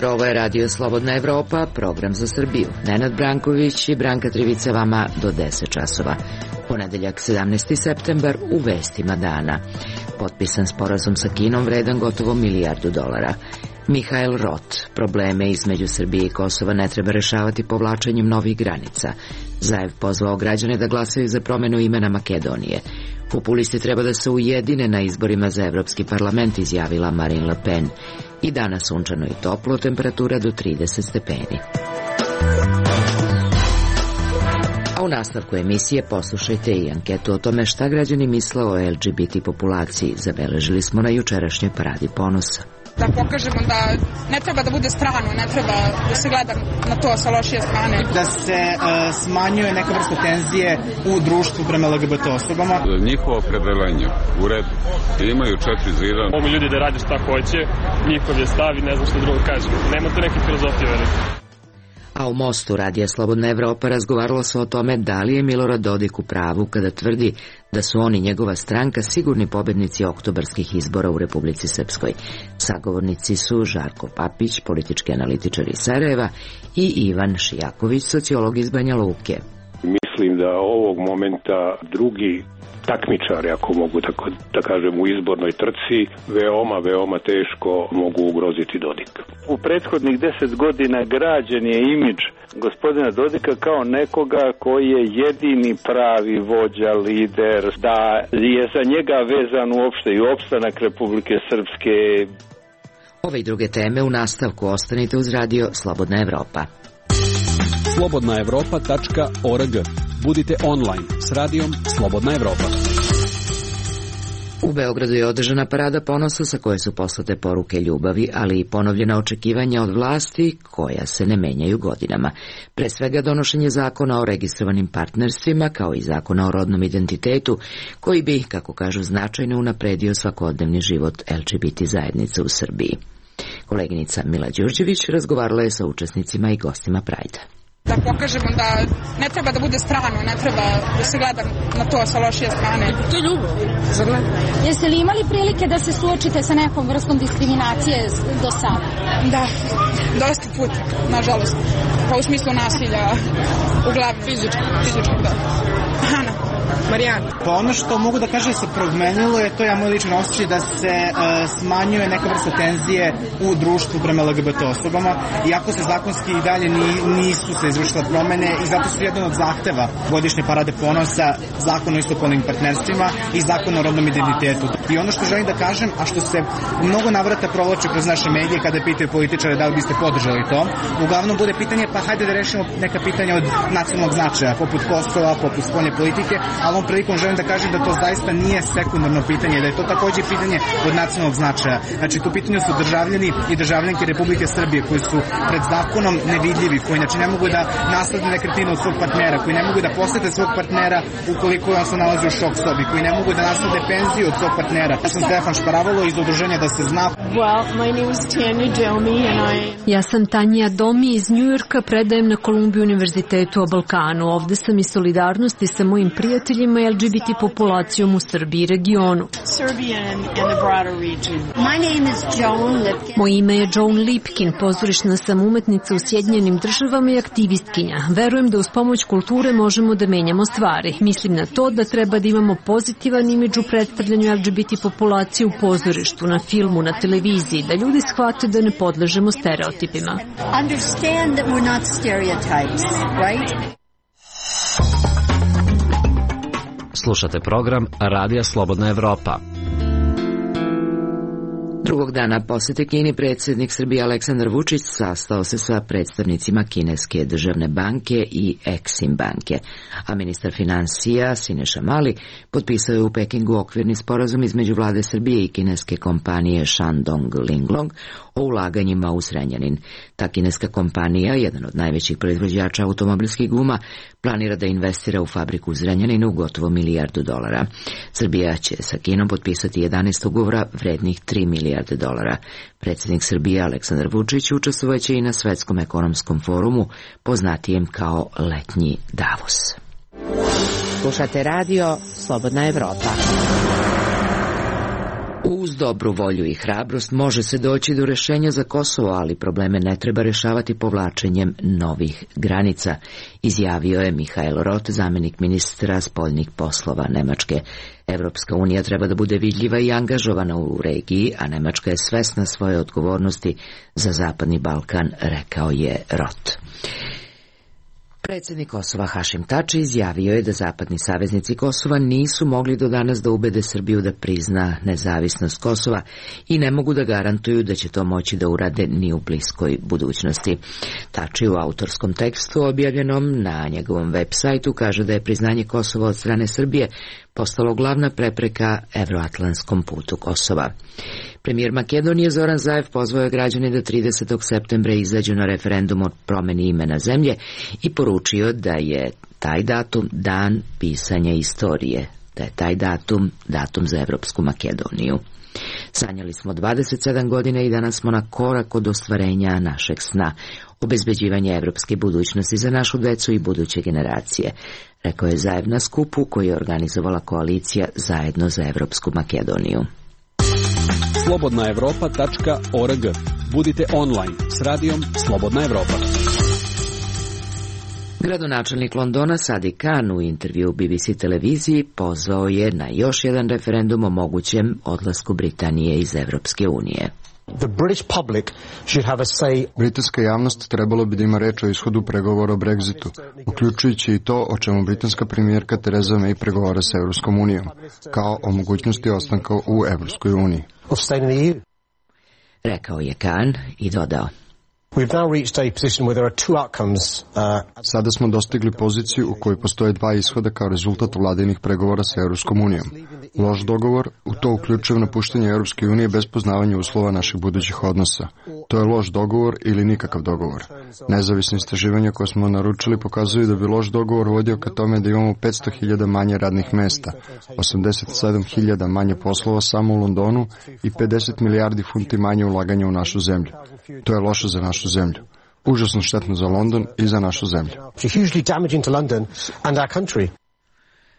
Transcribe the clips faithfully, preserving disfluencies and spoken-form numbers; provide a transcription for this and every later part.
jutro, ovo je Radio Slobodna Evropa, program za Srbiju. Nenad Branković i Branka Trivica vama do deset časova. Ponedeljak sedamnaesti septembar u vestima dana. Potpisan sporazum sa Kinom vredan gotovo milijardu dolara. Mihael Rot, probleme između Srbije i Kosova ne treba rešavati povlačenjem novih granica. Zaev pozvao građane da glasaju za promenu imena Makedonije. Populisti treba da se ujedine na izborima za Evropski parlament, izjavila Marine Le Pen. I danas sunčano i toplo, temperatura do trideset stepeni. A u nastavku emisije poslušajte i anketu o tome šta građani misle o L G B T populaciji. Zabeležili smo na jučerašnjoj paradi ponosa. Da pokažemo da ne treba da bude strano, ne treba da se gleda na to sa lošije strane. Da se uh, smanjuje neka vrsta tenzije u društvu prema L G B T osobama. Njihovo opredeljenje u redu. Imaju četiri zira. Mogu ljudi da rade šta hoće, njihov je stav i ne znam što drugo kaže. Nema tu neke filozofije velike. A u Mostu Radija Slobodna Evropa razgovaralo se o tome da li je Milorad Dodik u pravu kada tvrdi da su oni, njegova stranka, sigurni pobednici oktobarskih izbora u Republici Srpskoj. Sagovornici su Žarko Papić, politički analitičar iz Sarajeva, i Ivan Šijaković, sociolog iz Banja Luke. Mislim da ovog momenta drugi takmičari, ako mogu tako da kažem, u izbornoj trci, veoma, veoma teško mogu ugroziti Dodika. U prethodnih deset godina građen je imidž gospodina Dodika kao nekoga koji je jedini pravi vođa, lider, da je za njega vezan uopšte i opstanak Republike Srpske. Ove i druge teme u nastavku, ostanite uz Radio Slobodna Evropa. slobodna evropa tačka org. Budite online s Radijom Slobodna Evropa. U Beogradu je održana parada ponosa sa koje su poslate poruke ljubavi, ali i ponovljena očekivanja od vlasti koja se ne menjaju godinama. Pre svega donošenje zakona o registrovanim partnerstvima, kao i zakona o rodnom identitetu, koji bi, kako kažu, značajno unapredio svakodnevni život L G B T zajednice u Srbiji. Koleginica Mila Đurđević razgovarala je sa učesnicima i gostima Prajda. Da pokažemo da ne treba da bude strano, ne treba da se gleda na to sa lošije strane. To je ljubav, zar ne? Jeste li imali prilike da se suočite sa nekom vrstom diskriminacije do sada? Da, dosta puta, nažalost. Pa u smislu nasilja, uglavnom. Fizički. Fizički, da. Ana. Marijana. Pa ono što mogu da kažem se promenilo je, to je moj ličan osjećaj, da se uh, smanjuje neka vrsta tenzije u društvu prema L G B T osobama, iako se zakonski i dalje ni, nisu se izvršile promene, i zato su jedan od zahteva godišnje parade ponosa zakon o istopolnim partnerstvima i zakon o rodnom identitetu. I ono što želim da kažem, a što se mnogo navrata provlači kroz naše medije kada pitaju političare da li biste podržali to, uglavnom bude pitanje, pa hajde da rešimo neka pitanja od nacionalnog značaja, poput Kosova, poput spoljne politike, ali ovom prilikom želim da kažem da to zaista nije sekundarno pitanje, da je to takođe pitanje od nacionalnog značaja. Znači, tu pitanju su državljani i državljanke Republike Srbije koji su pred zakonom nevidljivi, koji znači ne mogu da naslede nekretninu od svog partnera, koji ne mogu da posete svog partnera ukoliko on se nalazi u šok sobi, koji ne mogu da naslede penziju od svog partnera. Ja sam Stefan Šparavalo iz udruženja Da se zna. Well, my name is Tanja Domi and I... Ja sam Tanja Domi iz Njujorka, predajem na Columbia univerzitetu o Balkanu. Ovde sam iz solidarnosti sa mojim prijateljima i L G B T populacijom u Srbiji i regionu. Moje ime je Joan Lipkin, pozorišna sam umetnica u Sjedinjenim državama i aktivistkinja. Verujem da uz pomoć kulture možemo da menjamo stvari. Mislim na to da treba da imamo pozitivan imidž u predstavljanju L G B T populacije u pozorištu, na filmu, na televiziji, da ljudi shvate da ne podležemo stereotipima. Understand that we're not stereotypes, right? Slušate program Radija Slobodna Evropa. Drugog dana posete Kini predsjednik Srbije Aleksandar Vučić sastao se sa predstavnicima Kineske državne banke i Exim banke, a ministar finansija Sineša Mali potpisao je u Pekingu okvirni sporazum između vlade Srbije i kineske kompanije Shandong Linglong o ulaganjima u Zrenjanin. Ta kineska kompanija, jedan od najvećih proizvođača automobilskih guma, planira da investira u fabriku u Zrenjaninu u gotovo milijardu dolara. Srbija će sa Kinom potpisati jedanaest ugovora vrednih tri milijarde dolara. Predsjednik Srbije Aleksandar Vučić učestvovaće i na Svetskom ekonomskom forumu, poznatijem kao letnji Davos. Slušate radio Slobodna Evropa. U Uz dobru volju i hrabrost može se doći do rešenja za Kosovo, ali probleme ne treba rešavati povlačenjem novih granica, izjavio je Mihael Roth, zamenik ministra spoljnih poslova Nemačke. Evropska unija treba da bude vidljiva i angažovana u regiji, a Nemačka je svesna svoje odgovornosti za Zapadni Balkan, rekao je Roth. Predsjednik Kosova Hašim Tači izjavio je da zapadni saveznici Kosova nisu mogli do danas da ubede Srbiju da prizna nezavisnost Kosova i ne mogu da garantuju da će to moći da urade ni u bliskoj budućnosti. Tači u autorskom tekstu objavljenom na njegovom web sajtu kaže da je priznanje Kosova od strane Srbije postalo glavna prepreka evroatlantskom putu Kosova. Premijer Makedonije Zoran Zaev pozvao je građane da tridesetog septembra izađu na referendum o promeni imena zemlje i poručio da je taj datum dan pisanja istorije, da je taj datum datum za Evropsku Makedoniju. Sanjali smo dvadeset sedam godina i danas smo na korak od ostvarenja našeg sna, obezbeđivanja evropske budućnosti za našu decu i buduće generacije, rekao je Zaev na skupu koji je organizovala koalicija Zajedno za Evropsku Makedoniju. slobodna evropa tačka org. Budite online s radijom Slobodna Evropa. Gradonačelnik Londona Sadiq Khan u intervju B B C televiziji pozvao je na još jedan referendum o mogućem odlasku Britanije iz Evropske unije. The British public should have a say. Britanska javnost trebalo bi da ima reč o ishodu pregovora o Brexitu, uključujući i to o čemu britanska premijerka Theresa May pregovara sa Evropskom unijom, kao o mogućnosti ostanka u Evropskoj uniji. Rekao je Khan i dodao. We've now reached a position where there are two outcomes. Uh, Sada smo dostigli poziciju u kojoj postoje dva ishoda kao rezultat vladinih pregovora sa Evropskom unijom. Loš dogovor, u to uključuje napuštanje Evropske unije bez poznavanja uslova naših budućih odnosa. To je loš dogovor ili nikakav dogovor. Nezavisne istraživanja koje smo naručili pokazuju da bi loš dogovor vodio ka tome da imamo petsto hiljada manje radnih mesta, osamdeset sedam hiljada manje poslova samo u Londonu i pedeset milijardi funti manje ulaganja u našu zemlju. To je loše za našu zemlju. Užasno štetno za London i za našu zemlju.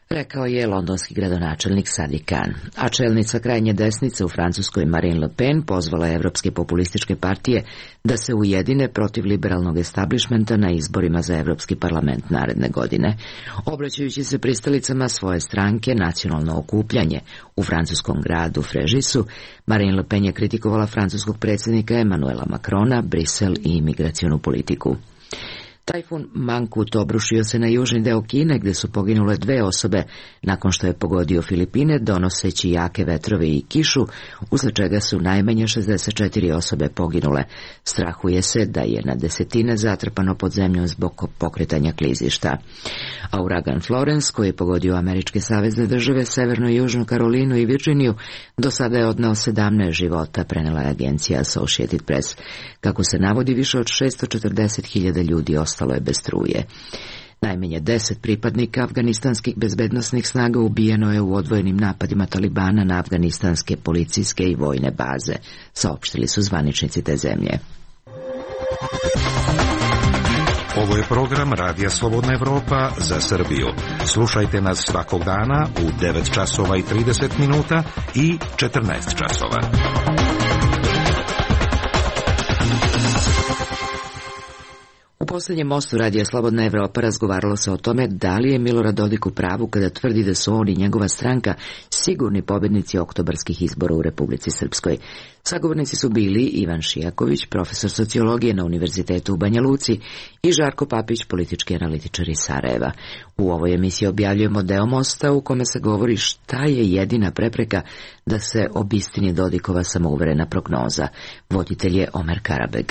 Rekao je londonski gradonačelnik Sadiq Khan. A čelnica krajnje desnice u Francuskoj Marine Le Pen pozvala evropske populističke partije da se ujedine protiv liberalnog establishmenta na izborima za Evropski parlament naredne godine. Obraćajući se pristalicama svoje stranke Nacionalno okupljanje u francuskom gradu Fréžisu, Marine Le Pen je kritikovala francuskog predsjednika Emmanuela Macrona, Brisel i imigracionu politiku. Tajfun Mangkhut obrušio se na južni deo Kine gde su poginule dve osobe nakon što je pogodio Filipine donoseći jake vetrove i kišu, usled čega su najmanje šezdeset četiri osobe poginule. Strahuje se da je na desetine zatrpano pod zemljom zbog pokretanja klizišta. A uragan Florence, koji je pogodio američke savezne države, Severnu i Južnu Karolinu i Virginiju, do sada je odneo sedamnaest života, prenela je agencija Associated Press. Kako se navodi, više od šesto četrdeset hiljada ljudi ostalo je bez struje. Najmanje deset pripadnika afganistanskih bezbednosnih snaga ubijeno je u odvojenim napadima Talibana na afganistanske policijske i vojne baze, saopštili su zvaničnici te zemlje. Ovo je program Radija Slobodna Evropa za Srbiju. Slušajte nas svakog dana u devet časova i trideset minuta i četrnaest časova. U posljednjem mostu Radija Slobodna Evropa razgovaralo se o tome da li je Milorad Dodik u pravu kada tvrdi da su on i njegova stranka sigurni pobjednici oktobarskih izbora u Republici Srpskoj. Sagovornici su bili Ivan Šijaković, profesor sociologije na Univerzitetu u Banja Luci, i Žarko Papić, politički analitičar iz Sarajeva. U ovoj emisiji objavljujemo deo mosta u kome se govori šta je jedina prepreka da se obistini Dodikova samouverena prognoza. Voditelj je Omer Karabeg.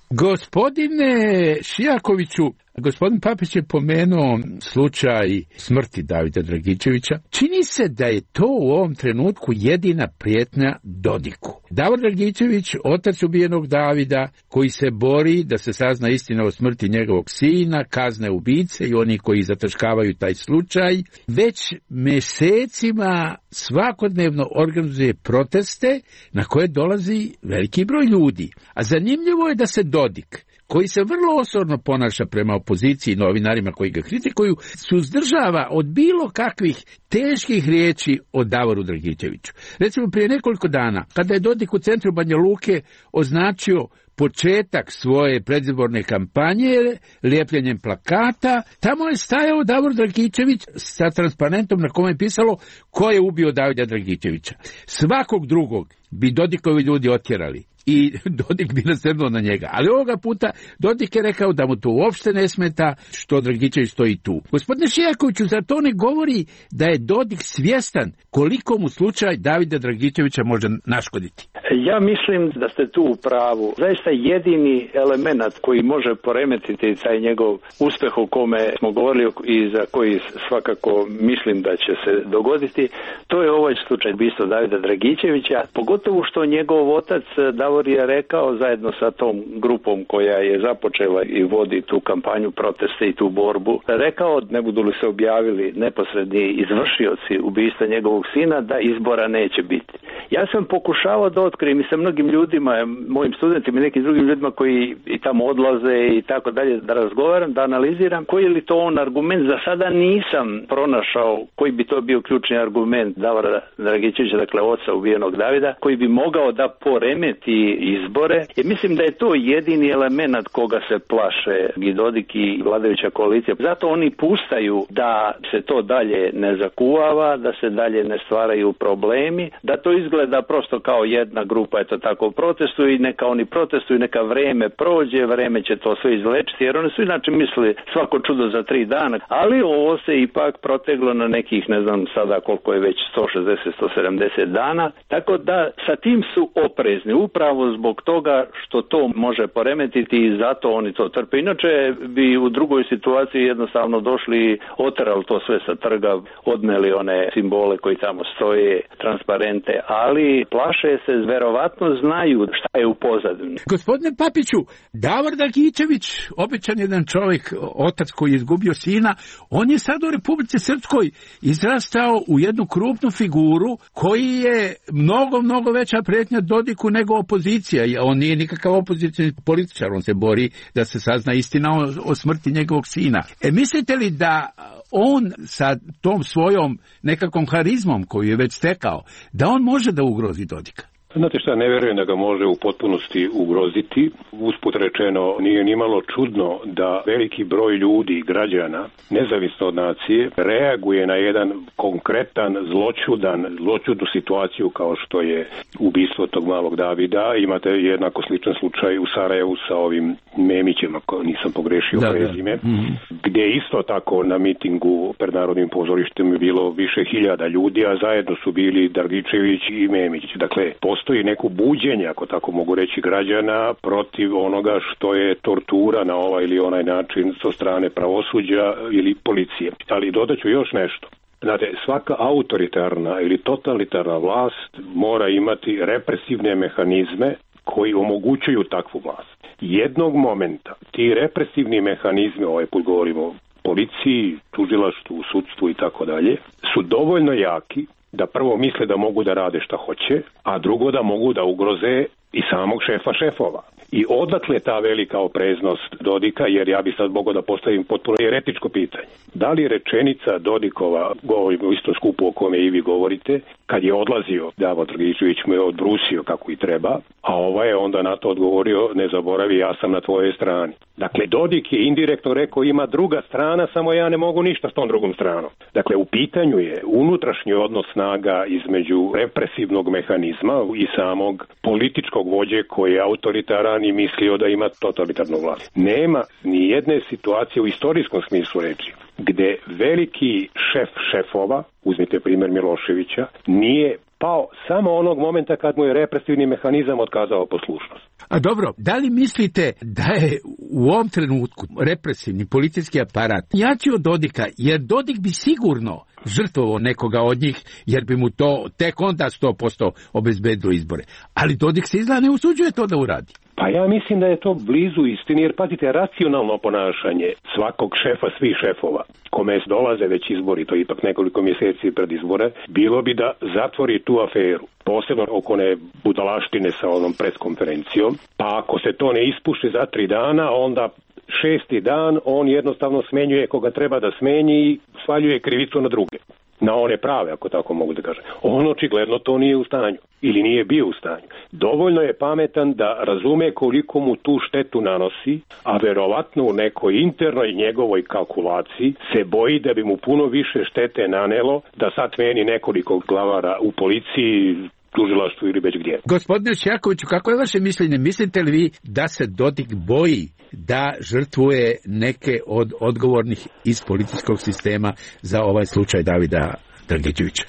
Gospodine Šijakoviću, gospodin Papić je pomenuo slučaj smrti Davida Dragičevića. Čini se da je to u ovom trenutku jedina prijetnja Dodiku. Davor Dragičević, otac ubijenog Davida, koji se bori da se sazna istina o smrti njegovog sina, kazne ubice i oni koji zataškavaju taj slučaj, već mesecima svakodnevno organizuje proteste na koje dolazi veliki broj ljudi. A zanimljivo je da se Dodik, koji se vrlo osorno ponaša prema opoziciji i novinarima koji ga kritikuju, suzdržava od bilo kakvih teških riječi o Davoru Dragičeviću. Recimo, prije nekoliko dana, kada je Dodik u centru Banja Luke označio početak svoje predizborne kampanje lijepljenjem plakata, tamo je stajao Davor Dragičević sa transparentom na kome je pisalo ko je ubio Davida Dragičevića. Svakog drugog bi Dodikovi ljudi otjerali i Dodik bi nasrnuo na njega. Ali ovoga puta Dodik je rekao da mu to uopšte ne smeta što Dragičević stoji tu. Gospodine Šijakoviću, zar to ne govori da je Dodik svjestan koliko mu slučaj Davida Dragičevića može naškoditi? Ja mislim da ste tu u pravu. Zaista jedini element koji može poremetiti taj njegov uspeh o kome smo govorili i za koji svakako mislim da će se dogoditi, to je ovaj slučaj ubistva Davida Dragičevića, pogotovo što njegov otac Davor je rekao zajedno sa tom grupom koja je započela i vodi tu kampanju proteste i tu borbu, rekao ne budu li se objavili neposredni izvršioci ubistva njegovog sina da izbora neće biti. Ja sam pokušavao da otkrijem i sa mnogim ljudima, mojim studentima i nekim drugim ljudima koji i tamo odlaze i tako dalje, da razgovaram, da analiziram koji je li to on argument. Za sada nisam pronašao koji bi to bio ključni argument Davora Dragičevića, dakle oca ubijenog Davida, koji bi mogao da poremeti izbore. Jer mislim da je to jedini element koga se plaše i Dodik i vladajuća koalicija. Zato oni pustaju da se to dalje ne zakuvava, da se dalje ne stvaraju problemi, da to izgleda prosto kao jedna grupa, eto tako, protestuju i neka oni protestuju, neka vreme prođe, vreme će to sve izlečiti, jer oni su inače mislili svako čudo za tri dana, ali ovo se ipak proteglo na nekih, ne znam sada koliko je već, sto šezdeset do sto sedamdeset dana, tako da sa tim su oprezni, upravo zbog toga što to može poremetiti i zato oni to trpe. Inače bi u drugoj situaciji jednostavno došli i oterali to sve sa trga, odneli one simbole koji tamo stoje, transparente, ali plaše se, verovatno znaju šta je u pozadini. Gospodine Papiću, Davor Dragičević, običan jedan čovjek, otac koji je izgubio sina, on je sad u Republici Srpskoj izrastao u jednu krupnu figuru koji je mnogo, mnogo veća prijetnja Dodiku nego opozicija. On nije nikakav opozicijni političar, on se bori da se sazna istina o, o smrti njegovog sina. E, mislite li da on sa tom svojom nekakvom harizmom koju je već stekao, da on može da ugrozi Dodika? Znate šta, ne vjerujem da ga može u potpunosti ugroziti. Usput rečeno, nije nimalo čudno da veliki broj ljudi, građana, nezavisno od nacije, reaguje na jedan konkretan, zloćudan, zloćudnu situaciju kao što je ubistvo tog malog Davida. Imate jednako sličan slučaj u Sarajevu sa ovim Memićem, ako nisam pogrešio da, prezime, da. Mm-hmm. gdje isto tako na mitingu pred Narodnim pozorištem je bilo više hiljada ljudi, a zajedno su bili Dragičević i Memić. Dakle, postoji neko buđenje, ako tako mogu reći, građana protiv onoga što je tortura na ovaj ili onaj način sa strane pravosuđa ili policije. Ali dodaću još nešto. Znate, svaka autoritarna ili totalitarna vlast mora imati represivne mehanizme koji omogućuju takvu vlast. Jednog momenta ti represivni mehanizmi, ovaj put govorimo o policiji, tužilaštvu, sudstvu i tako dalje, su dovoljno jaki da prvo misle da mogu da rade šta hoće, a drugo da mogu da ugroze i samog šefa šefova. I odakle ta velika opreznost Dodika, jer ja bi sad mogao da postavim potpuno eretičko pitanje. Da li rečenica Dodikova, govorimo o istom skupu o kome i vi govorite, kad je odlazio, Davor Dragičević mu je odbrusio kako i treba, a ovaj je onda na to odgovorio, ne zaboravi, ja sam na tvojoj strani. Dakle, Dodik je indirektno rekao, ima druga strana, samo ja ne mogu ništa s tom drugom stranom. Dakle, u pitanju je unutrašnji odnos snaga između represivnog mehanizma i samog političkog vođe koji je autoritaran i mislio da ima totalitarnu vlast. Nema ni jedne situacije u istorijskom smislu reči gde veliki šef šefova, uzmite primjer Miloševića, nije pao samo onog momenta kad mu je represivni mehanizam otkazao poslušnost. A dobro, da li mislite da je u ovom trenutku represivni policijski aparat jači od Dodika, jer Dodik bi sigurno žrtvovao nekoga od njih, jer bi mu to tek onda sto posto obezbedilo izbore. Ali Dodik se izgleda ne usuđuje to da uradi. Pa ja mislim da je to blizu istini, jer pazite, racionalno ponašanje svakog šefa, svih šefova, kome dolaze već izbori, to je ipak nekoliko mjeseci pred izbore, bilo bi da zatvori tu aferu, posebno oko one budalaštine sa onom preskonferencijom, pa ako se to ne ispuši za tri dana, onda šesti dan on jednostavno smenjuje koga treba da smenji i svaljuje krivicu na druge. Na one prave, ako tako mogu da kažem. On očigledno to nije u stanju ili nije bio u stanju. Dovoljno je pametan da razume koliko mu tu štetu nanosi, a verovatno u nekoj internoj njegovoj kalkulaciji se boji da bi mu puno više štete nanelo da sad meni nekoliko glavara u policiji, tužilaštvu ili već gdje. Gospodine Šjakoviću, kako je vaše mišljenje? Mislite li vi da se Dodik boji da žrtvuje neke od odgovornih iz političkog sistema za ovaj slučaj Davida Dragičevića?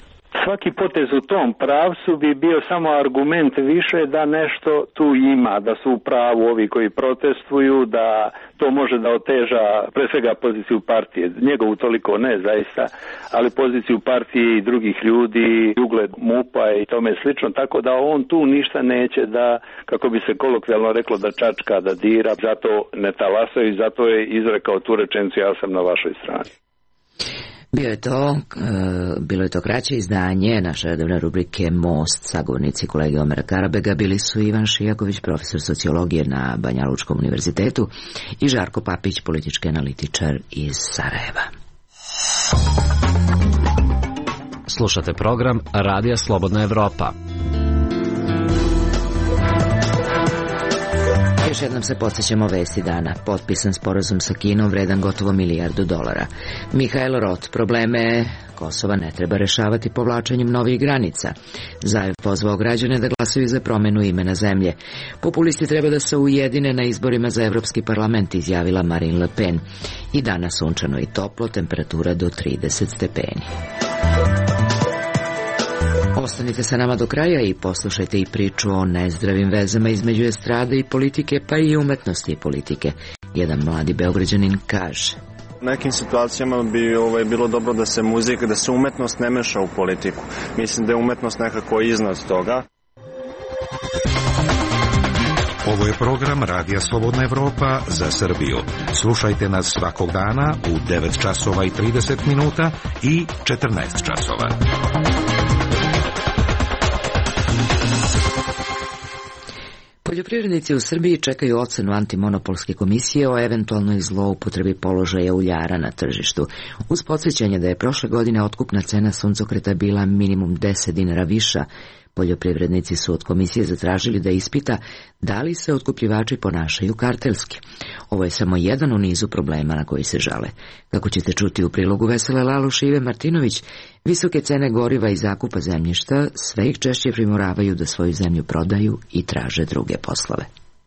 Svaki potez u tom pravcu bi bio samo argument više da nešto tu ima, da su u pravu ovi koji protestuju, da to može da oteža pre svega poziciju partije, njegovu toliko ne zaista, ali poziciju partije i drugih ljudi, ugled MUP-a i tome slično, tako da on tu ništa neće da, kako bi se kolokvijalno reklo, da čačka, da dira, zato ne talasaju i zato je izrekao tu rečenicu, ja sam na vašoj strani. Bio je to, bilo je to kraće izdanje naše redovne rubrike Most. Sagovornici kolege Omera Karabega bili su Ivan Šijaković, profesor sociologije na Banja Lučkom univerzitetu, i Žarko Papić, politički analitičar iz Sarajeva. Slušate program Radija Slobodna Evropa. Još jednom se podsjećamo vesti dana. Potpisan sporazum sa Kinom vredan gotovo milijardu dolara. Mihael Roth, probleme Kosova ne treba rešavati povlačenjem novih granica. Zajev pozvao građane da glasaju za promenu imena zemlje. Populisti treba da se ujedine na izborima za Evropski parlament, izjavila Marine Le Pen. I danas sunčano i toplo, temperatura do trideset stepeni. Ostanite sa nama do kraja i poslušajte i priču o nezdravim vezama između estrade i politike, pa i umetnosti i politike. Jedan mladi Beograđanin kaže: U nekim situacijama bi ovaj, bilo dobro da se muzika, da se umetnost ne meša u politiku. Mislim da je umetnost nekako iznad toga. Ovo je program Radija Slobodna Evropa za Srbiju. Slušajte nas svakog dana u devet časova i trideset minuta i četrnaest časova. Poljoprivrednici u Srbiji čekaju ocenu antimonopolske komisije o eventualnoj zloupotrebi položaja uljara na tržištu. Uz podsjećanje da je prošle godine otkupna cena suncokreta bila minimum deset dinara viša, poljoprivrednici su od komisije zatražili da ispita da li se otkupljivači ponašaju kartelski. Ovo je samo jedan u nizu problema na koji se žale. Kako ćete čuti u prilogu Vesele Laluš i Ive Martinović, visoke cene goriva i zakupa zemljišta sve ih češće primoravaju da svoju zemlju prodaju i traže druge poslove.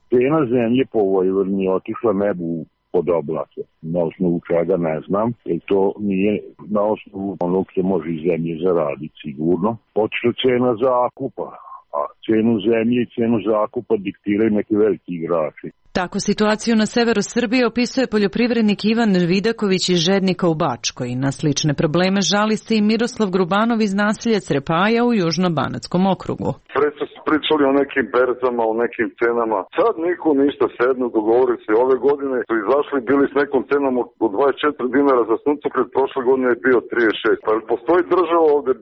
Cena zemlje po Vojvodini je otišla nebu pod oblake. Na osnovu čega ne znam, jer to nije na osnovu onog se može iz zemlje zaraditi sigurno. Otišla cena zakupa, a cenu zemlje i cenu zakupa diktiraju neki veliki igrači. Tako situaciju na severu Srbije opisuje poljoprivrednik Ivan Vidaković iz Žednika u Bačkoj. Na slične probleme žali se i Miroslav Grubanov iz naselja Crepaja u Južno-Banatskom okrugu. Preto su pričali o nekim berzama, o nekim cenama. Sad niko ništa sednu, dogovori se. Ove godine su izašli, bili s nekom cenom od dvadeset četiri dinara za suncokret, prošle godine je bio trideset šest. Pa postoji država ovde,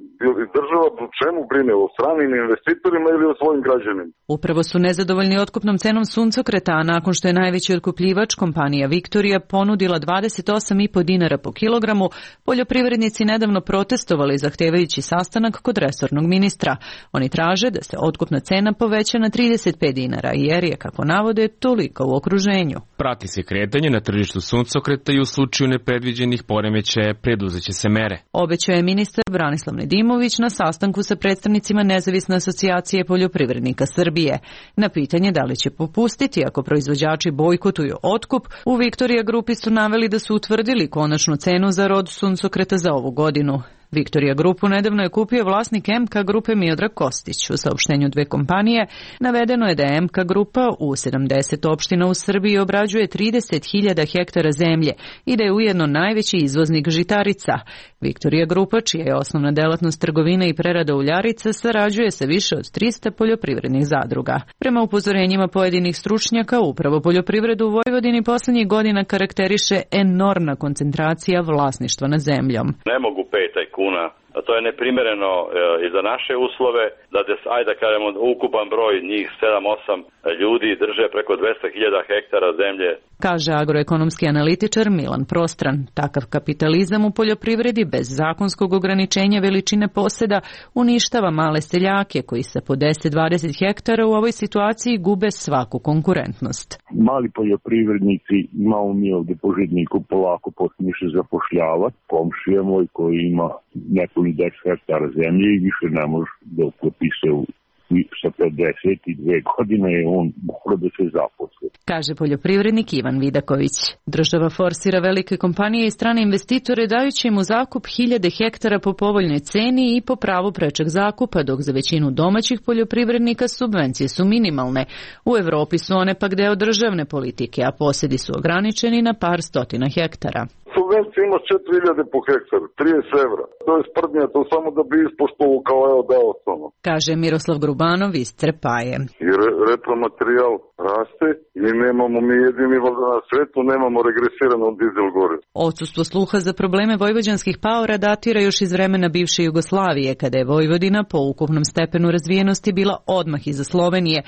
država o čemu brine? O stranim investitorima ili o svojim građanima? Upravo su nezadovoljni otkupnom cenom suncokreta, a nakon što je najveći otkupljivač, kompanija Viktorija, ponudila dvadeset osam i po dinara po kilogramu, poljoprivrednici nedavno protestovali zahtevajući sastanak kod resornog ministra. Oni traže da se otkupna cena poveća na trideset pet dinara, jer je, kako navode, toliko u okruženju. Prati se kretanje na tržištu suncokreta i u slučaju nepredviđenih poremećaja preduzeće se mere. Obećao je ministar Branislav Nedimović na sastanku sa predstavnicima Nezavisne asocijacije poljoprivrednika Srbije. Na pitanje da li će popustiti ako proizvođači bojkotuju otkup, u Viktorija grupi su naveli da su utvrdili konačnu cenu za rod suncokreta za ovu godinu. Viktorija grupu nedavno je kupio vlasnik M K grupe Miodrag Kostić. U saopštenju dve kompanije navedeno je da je M K grupa u sedamdeset opština u Srbiji obrađuje trideset hiljada hektara zemlje i da je ujedno najveći izvoznik žitarica. Victoria Grupa, čija je osnovna delatnost trgovina i prerada uljarica, sarađuje sa više od trista poljoprivrednih zadruga. Prema upozorenjima pojedinih stručnjaka, upravo poljoprivredu u Vojvodini poslednjih godina karakteriše enormna koncentracija vlasništva nad zemljom. Ne mogu pet tajkuna, a to je neprimereno e, i za naše uslove, da des, ajde da kažemo ukupan broj njih sedam osam ljudi drže preko dvesta hiljada hektara zemlje. Kaže agroekonomski analitičar Milan Prostran. Takav kapitalizam u poljoprivredi bez zakonskog ograničenja veličine poseda uništava male seljake koji sa po deset do dvadeset hektara u ovoj situaciji gube svaku konkurentnost. Mali poljoprivrednici, imamo mi ovde po Žitniku polako počniše zapošljavati. Komšija moj koji ima nekoliko deset hektara zemlje i više ne može da uklopi se u i sa pedeset dve godine je on mora da se zaposle. Kaže poljoprivrednik Ivan Vidaković. Država forsira velike kompanije i strane investitore dajući im u zakup hiljade hektara po povoljnoj ceni i po pravu prečeg zakupa, dok za većinu domaćih poljoprivrednika subvencije su minimalne. U Evropi su one pak deo državne politike, a posedi su ograničeni na par stotina hektara. Subvencija ima četiri hiljade po hektaru, trideset evra. To je sprdnja, to samo da bi ispoštovao kao evo dao samo. Kaže Miroslav Grubanov iz Trepaje. I re, repromaterijal raste i nemamo mi jedini na svetu, nemamo regresirano dizel gore. Odsustvo sluha za probleme vojvođanskih paora datira još iz vremena bivše Jugoslavije, kada je Vojvodina po ukupnom stepenu razvijenosti bila odmah iza Slovenije,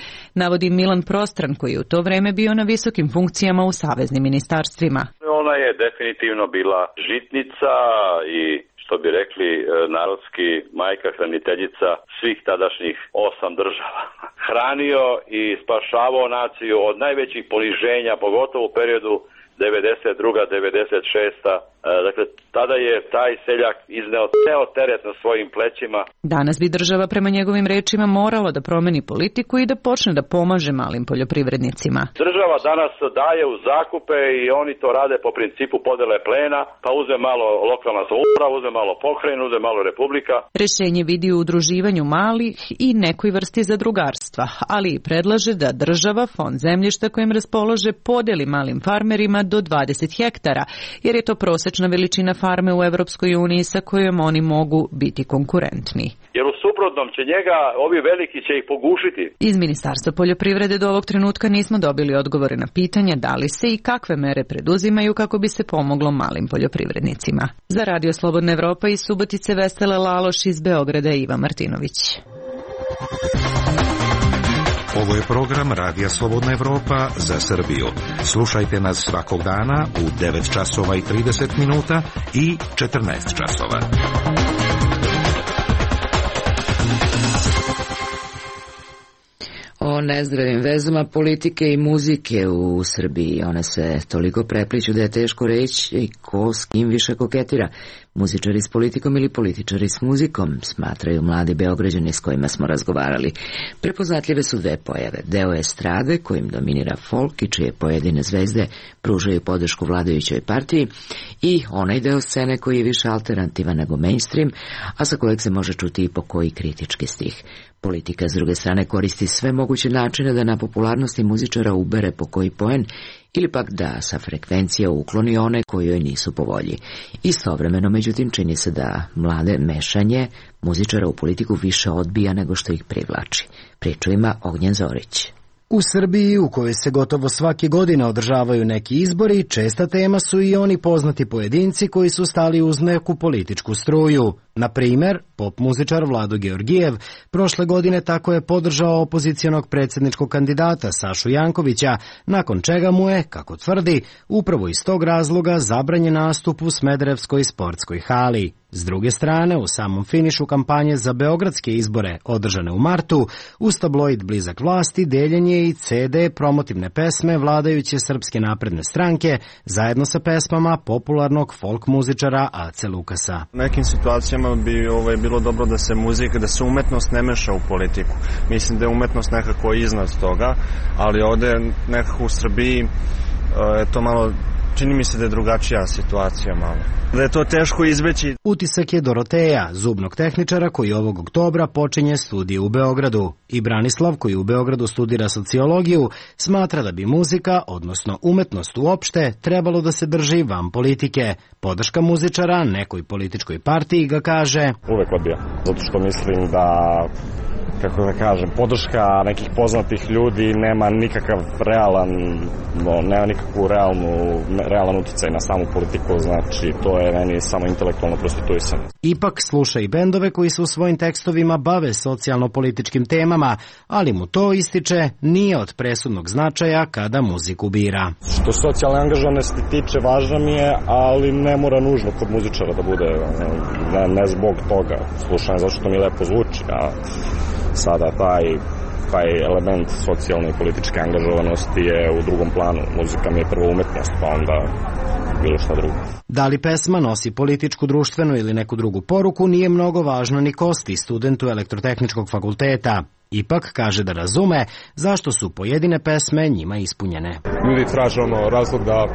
navodi Milan Prostran, koji je u to vreme bio na visokim funkcijama u saveznim ministarstvima. Ona je definitivno bila žitnica i, što bi rekli narodski, majka hraniteljica svih tadašnjih osam država. Hranio i spašavao naciju od najvećih poniženja, pogotovo u periodu devedeset druga do devedeset šesta Dakle, tada je taj seljak izneo ceo teret na svojim plećima. Danas bi država prema njegovim rečima morala da promeni politiku i da počne da pomaže malim poljoprivrednicima. Država danas daje u zakupe i oni to rade po principu podele plena, pa uze malo lokalna samouprava, uze malo pokrajina, uze malo republika. Rešenje vidi u udruživanju malih i nekoj vrsti zadrugarstva, ali i predlaže da država fond zemljišta kojim raspolaže podeli malim farmerima do dvadeset hektara, jer je to prosečna veličina farme u Evropskoj uniji sa kojom oni mogu biti konkurentni. Jer u suprotnom će njega, ovi veliki će ih pogušiti. Iz Ministarstva poljoprivrede do ovog trenutka nismo dobili odgovore na pitanje da li se i kakve mere preduzimaju kako bi se pomoglo malim poljoprivrednicima. Za Radio Slobodna Evropa iz Subotice Vesela Laloš, iz Beograda Iva Martinović. Ovo je program Radija Slobodna Evropa za Srbiju. Slušajte nas svakog dana u devet časova i trideset minuta i četrnaest časova. O nezdravim vezama politike i muzike u Srbiji. One se toliko prepliću da je teško reći ko s kim više koketira. Muzičari s politikom ili političari s muzikom, smatraju mladi Beograđani s kojima smo razgovarali. Prepoznatljive su dve pojave. Deo estrade kojim dominira folk i čije pojedine zvezde pružaju podršku vladajućoj partiji, i onaj deo scene koji je više alternativan nego mainstream, a sa kojeg se može čuti i po koji kritički stih. Politika s druge strane koristi sve moguće načine da na popularnosti muzičara ubere po koji poen ili pak da sa frekvencija ukloni one koji joj nisu po volji. Istovremeno, međutim, čini se da mlade mešanje muzičara u politiku više odbija nego što ih privlači. Priču ima Ognjen Zorić. U Srbiji, u kojoj se gotovo svake godine održavaju neki izbori, česta tema su i oni poznati pojedinci koji su stali uz neku političku struju. Na primer, pop muzičar Vlado Georgijev prošle godine tako je podržao opozicionog predsjedničkog kandidata Sašu Jankovića, nakon čega mu je, kako tvrdi, upravo iz tog razloga zabranjen nastup u Smederevskoj sportskoj hali. S druge strane, u samom finišu kampanje za beogradske izbore, održane u martu, uz tabloid blizak vlasti deljen je i ce de promotivne pesme vladajuće Srpske napredne stranke, zajedno sa pesmama popularnog folk muzičara Ace Lukasa. U nekim situacijama bi ovaj, bilo dobro da se muzika, da se umetnost ne meša u politiku. Mislim da je umetnost nekako iznad toga, ali ovde nekako u Srbiji je to malo čini mi se da je drugačija situacija malo. Da je to teško izbeći. Utisak je Doroteja, zubnog tehničara koji ovog oktobra počinje studije u Beogradu. I Branislav, koji u Beogradu studira sociologiju, smatra da bi muzika, odnosno umetnost uopšte, trebalo da se drži van politike. Podrška muzičara nekoj političkoj partiji ga kaže: uvek odbija, zato što mislim da, kako da kažem, podrška nekih poznatih ljudi nema nikakav realan, no, nema nikakvu realnu, realan uticaj na samu politiku, znači to je meni samo intelektualno prostituisanje. Ipak sluša i bendove koji se u svojim tekstovima bave socijalno-političkim temama, ali mu to, ističe, nije od presudnog značaja kada muziku bira. Što socijalne angažovanosti tiče, važno mi je, ali ne mora nužno kod muzičara da bude, ne, ne zbog toga. Slušanje zato što mi lepo zvuči, a sada taj, taj element socijalne i političke angažovanosti je u drugom planu. Muzika mi je prvo umetnost, pa onda bilo šta drugo. Da li pesma nosi političku, društvenu ili neku drugu poruku, nije mnogo važno ni Kosti, studentu Elektrotehničkog fakulteta. Ipak kaže da razume zašto su pojedine pesme njima ispunjene. Ljudi traže ono razlog da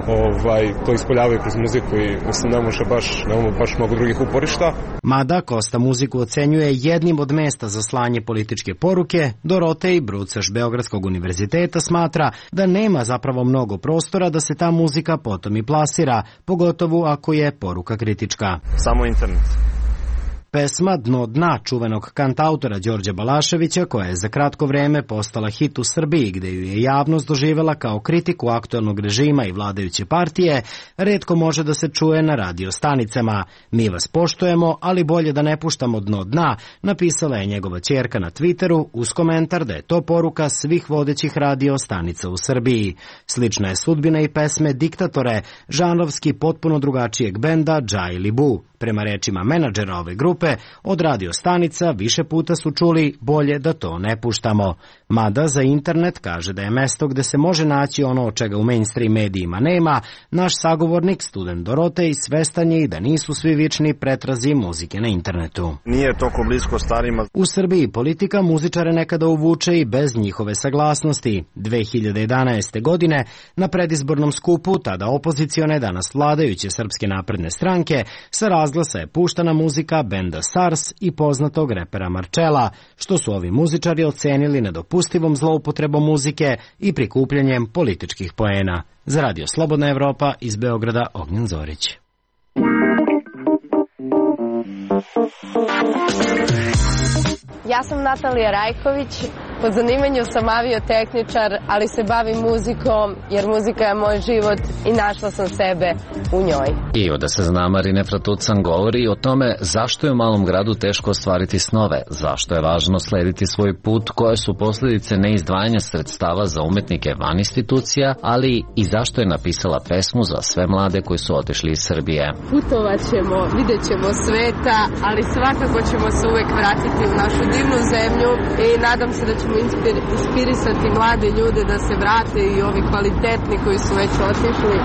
ovaj, to ispoljavaju kroz muziku i mislim ne može baš, ne može baš mnogo drugih uporišta. Mada Kosta muziku ocenjuje jednim od mesta za slanje političke poruke, Dorotej Brucaš Beogradskog univerziteta smatra da nema zapravo mnogo prostora da se ta muzika potom i plasira, pogotovo ako je poruka kritička. Samo internet. Pesma Dno dna čuvenog kantautora Đorđa Balaševića, koja je za kratko vreme postala hit u Srbiji, gde ju je javnost doživela kao kritiku aktuelnog režima i vladajuće partije, retko može da se čuje na radio stanicama. Mi vas poštujemo, ali bolje da ne puštamo Dno dna, napisala je njegova ćerka na Twitteru uz komentar da je to poruka svih vodećih radio stanica u Srbiji. Slična je sudbina i pesme Diktatore, žanrovski potpuno drugačijeg benda Džaj Libu. Prema rečima menadžera ove grupe, od radio stanica više puta su čuli bolje da to ne puštamo. Mada za internet kaže da je mesto gde se može naći ono od čega u mainstream medijima nema, naš sagovornik, student Dorotej, svestan je i da nisu svi vični pretrazi muzike na internetu. Nije toliko blisko starima. U Srbiji politika muzičare nekada uvuče i bez njihove saglasnosti. dve hiljade jedanaeste. godine na predizbornom skupu, tada opozicione, danas vladajuće Srpske napredne stranke, sa razglasa je puštana muzika benda SARS i poznatog repera Marčela, što su ovi muzičari ocenili nedopustivom zloupotrebom muzike i prikupljanjem političkih poena. Za Radio Slobodna Evropa iz Beograda, Ognjen Zorić. Ja sam Natalija Rajković, po zanimanju sam aviotehničar, ali se bavim muzikom jer muzika je moj život i našla sam sebe u njoj. I da se zna, Marine Fratucan govori o tome zašto je u malom gradu teško ostvariti snove, zašto je važno slediti svoj put, koje su posljedice neizdvajanja sredstava za umetnike van institucija, ali i zašto je napisala pesmu za sve mlade koji su otišli iz Srbije. Putovat ćemo, vidjet ćemo sveta, ali svakako ćemo se uvek vratiti u našu divnu zemlju i nadam se da ćemo inspirisati mlade ljude da se vrate i ovi kvalitetni koji su već otišli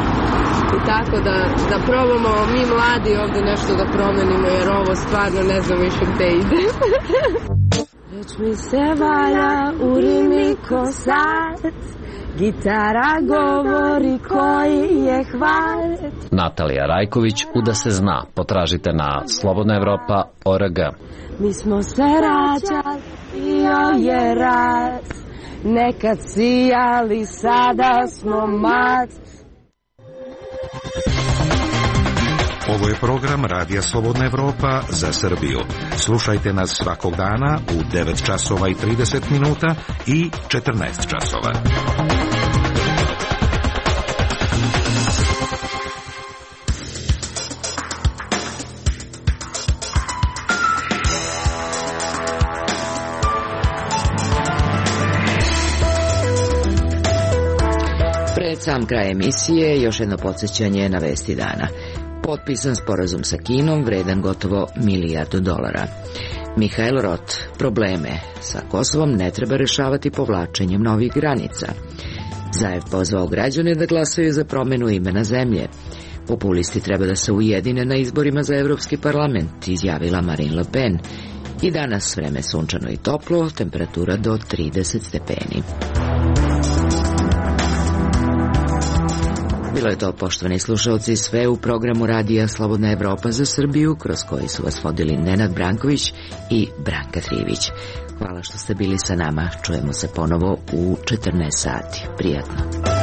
i tako da, da probamo mi mladi ovde nešto da promenimo jer ovo stvarno ne znam više gde ide. Već mi se valja u rimi ko sad, gitara govori koji je hvalet. Natalija Rajković, U da se zna, potražite na slobodna evropa tačka org. Mi smo se rađali, bio je rat, nekad sijali, sada smo mat. Ovo je program Radija Slobodna Evropa za Srbiju. Slušajte nas svakog dana u devet časova i trideset minuta i četrnaest časova. Pred sam kraj emisije još jedno podsjećanje na vesti dana. Potpisan sporazum sa Kinom vredan gotovo milijardu dolara. Mihael Rot, probleme sa Kosovom ne treba rešavati povlačenjem novih granica. Zajev pozvao građane da glasaju za promenu imena zemlje. Populisti treba da se ujedine na izborima za Evropski parlament, izjavila Marine Le Pen. I danas vreme sunčano i toplo, temperatura do trideset stepeni. Bilo je to, poštovani slušalci, sve u programu Radija Slobodna Evropa za Srbiju, kroz koji su vas vodili Nenad Branković i Branka Trivić. Hvala što ste bili sa nama. Čujemo se ponovo u četrnaest sati. Prijatno.